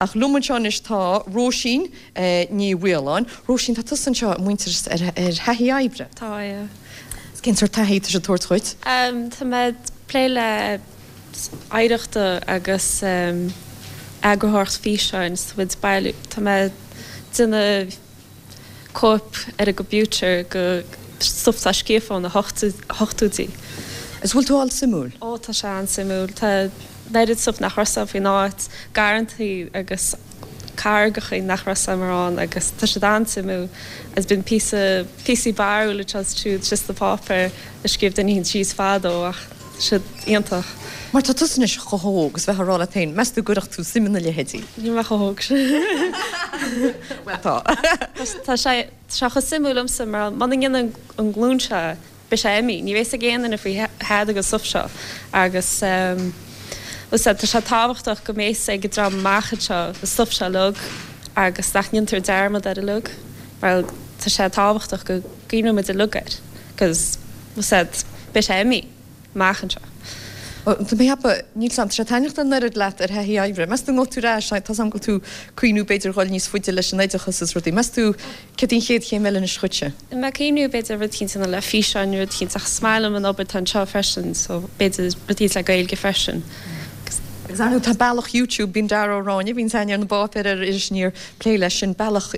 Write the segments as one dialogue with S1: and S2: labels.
S1: Ach liom anseo anois tá Róisín Ní Mhaoláin. Róisín, tá tusa anseo i Muintearas ar thaithí oibre.
S2: Tá, yeah.
S1: Is cén sórt taithí atá siad ag tabhairt dhuit?
S2: Tá mé ag plé le oidhreachta agus eagarthóireacht físeáin, so muid bailiú, tá mé ag déanamh cóip ar an gcomputer go stuff atá scríofa ó na hochtóidí.
S1: Is bhfuil tú á fháil suimiúil?
S2: Ó tá sé an-suimiúil. Tá an oiread stuff nach raibh 's a'm faoin áit, garrantaí agus carraigeachaí nach raibh 's a'm mórán agus tá siad an-suimiúil agus bíonn píosa, píosaí barrúil anseo is ansiúd síos sna páipéir a scríobh duine éicint síos fadó ach tá siad iontach.
S1: Mar tá tusa anois chomh hóg is bheifeá ag rá leat féin, meas tú an gcuirfeadh tú suim ina leithéidí?
S2: Níl mé chomh hóg sin.
S1: Bhuel tá.
S2: Tá sé chomh suimiúil liomsa mar muna ndéanann an ghlúin seo beidh sé imithe. Ní bheidh 's ag aon duine faoi thada den stuff seo agus tá sé tábhachtach go mbeidh 's ag an dream amach anseo an stuff seo uilig agus nach ndéantar dearmad air uilig mar tá sé tábhachtach go gcuimhneoidh muid uilig air 'cause beidh sé imithe. amach anseo.
S1: Tá mé ag ceapadh, níl 's a'm, tá sé taitneamhach an oiread leat ar thaithí oibre. Meas tú an ngabhfaidh tú ar ais, tá 's a'm go bhfuil tú ag cuimhniú b'fhéidir dhul níos faide leis an oideachas is rudaí. Meas tú céard í an chéad chéim eile anois dhuitse?
S2: Tá mé ag cuimhniú b'fhéidir rud éicint a dhéanamh le físeáin nó rud éicint ach is maith liom an obair atá anseo freisin so b'fhéidir rud éicint le Gaeilge freisin.
S1: Agus ar ndóigh tá bealach YouTube, bíonn Dara Ó Ráinne, bhíonn aithne ar na bpáipéir ar Iris Aniar, plé leis sin, bealach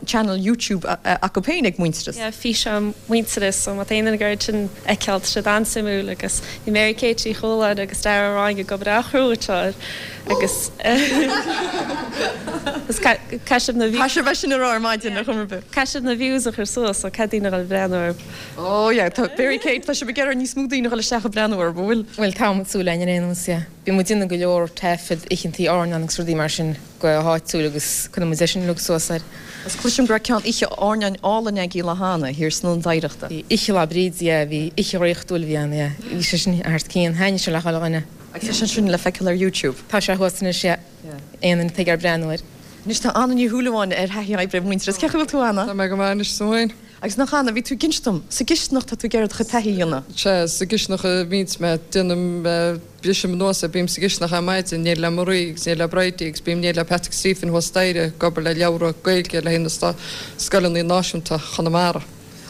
S1: channel YouTube acu féin ag Muintearas.
S2: Yeah, físeán Muintearas, so má tá aon duine ag iarraidh sin a fheiceáil, tá siad an-suimiúil agus bhí Mary Kate Uí Chualáin agus Dara Ó Ráinne ag obair an-chrua anseo air agus agus caithfidh sibh na
S1: Caithfidh sibh é sin a rá ar maidin ar chuma ar bith.
S2: Caithfidh sibh na views a chur suas, so caithfidh daoine a dhul ag breathnú orthu.
S1: Oh yeah, tá Mary Kate, tá sibh ag iarraidh níos mó daoine a dhul isteach ag breathnú orthu, an bhfuil?
S3: Bhuel, tá muid ag súil linn ar aon nós, yeah. Bíonn muid ag déanamh go leor taifead oícheantaí airneáin agus rudaí mar sin. go háitiúil agus cuireann muid é sin uilig suas air.
S1: Agus cloisim go raibh ceann oíche airneáin álainn agaibh lá cheana, thiar san Ionad Oidhreachta.
S3: Bhí oíche Lá Bríde, yeah, bhí oíche dhraíochtúil a bhí ann, yeah. Bhí sé sin thar cionn, thaitnigh sé le chuile dhuine.
S1: Agus tá sé sin le feiceáil ar YouTube.
S3: Tá sé thuas anois, yeah. Aon duine atá ag iarraidh breathnú air.
S1: Anois tá Anna Ní Shúilleabháin ar thaithí oibre i Muintearas. Cén chaoi a bhfuil tú, Anna?
S4: Tá mé go maith anois, is tú féin?
S1: Agus nach Anna, bhí tú ag inse dom, sa gcisteanach tá tú ag iarraidh do chuid taithí a dhéanamh.
S4: Sea, sa gcisteanach a bhíonns mé, déanaim, Brisim anuas é, bím sa gcisteanach ar maidin, in éindí le Marie agus in éindí le Bridie agus bím in éindí le Patrick Stephen thuas staighre ag obair le leabhra Gaeilge le haghaidh na scoileanna náisiúnta Chonamara.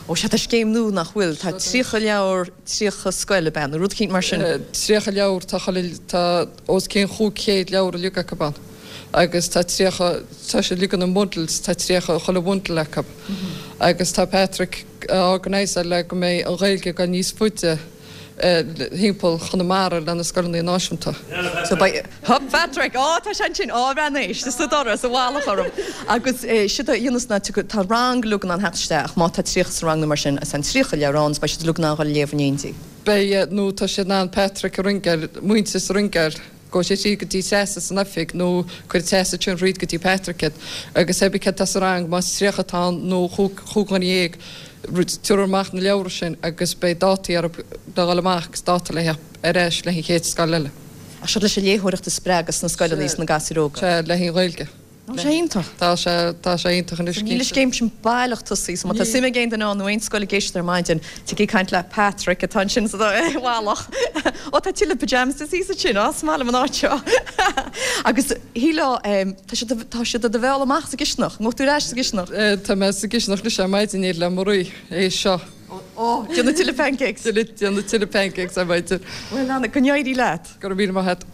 S1: Ó sea, tá scéim nua nach bhfuil? Tá 30 leabhar, 30 scoil, ab ea, nó rud eicínt mar sin?
S4: 30 leabhar, tá chuile, tá os cionn 500 leabhar uilig acu ann agus tá 30, tá siad uilig ina mbundles, tá 30 chuile bhundle acu agus tá Patrick a organiseáil le go mbeidh an Ghaeilge ag dul níos faide. thimpeall Chonamara le na scoileanna náisiúnta.
S1: So beidh, Hup Patrick! Á, tá sé ansin! Á, bhreathnaigh, éist, sa doras, i bhfalach orm. Agus séard a dhéanas ná tiocfaidh, tá rang uilig in ann theacht isteach ach má tá 30 sa rang nó mar sin, is an 30 leabhrán is beidh siad uilig in ann dhul a léamh in éindí.
S4: Beidh, nó tá siad in ann Patrick a ringeáil, Muintearas a ringeáil. Gabhfaidh sé tríd go dtí Treasa san oifig nó cuirfidh Treasa ansin thríd go dtí Patrick iad agus cibé céard atá sa rang, más 30 atá ann nó chúig dhuine dhéag, tabharfar amach na leabhra sin agus beidh dátaí orthu le dhul amach agus dáta le theacht ar ais le an chéad scoil eile.
S1: Ach seo leis an léitheoireacht a spreagadh sna scoileanna sna gasúir óga.
S4: Sea, le an Ghaeilge.
S1: Tá sé iontach.
S4: Tá sé, tá sé iontach anois
S1: cinnte. Níl an scéim sin baileach tosaithe so má tá suim ag aon duine ann nó aon scoil ag éisteacht ar maidin, tig ag caint le Patrick atá ansin sa bhealach. Ó tá tuilleadh pyjamas thíos ansin, á is maith liom an áit seo. Agus shílfeá, tá siad, tá siad do do mhealladh amach sa gcisteanach, an ngabhfaidh tú ar ais sa gcisteanach?
S4: Tá mé sa gcisteanach anois ar maidin in éindí le Marie, é seo.
S1: Ó, déanamh tuilleadh pancakes.
S4: Déanamh tuilleadh pancakes ar maidin.
S1: Bhuel Anna, go n-éirí leat.
S4: Go raibh míle maith agat.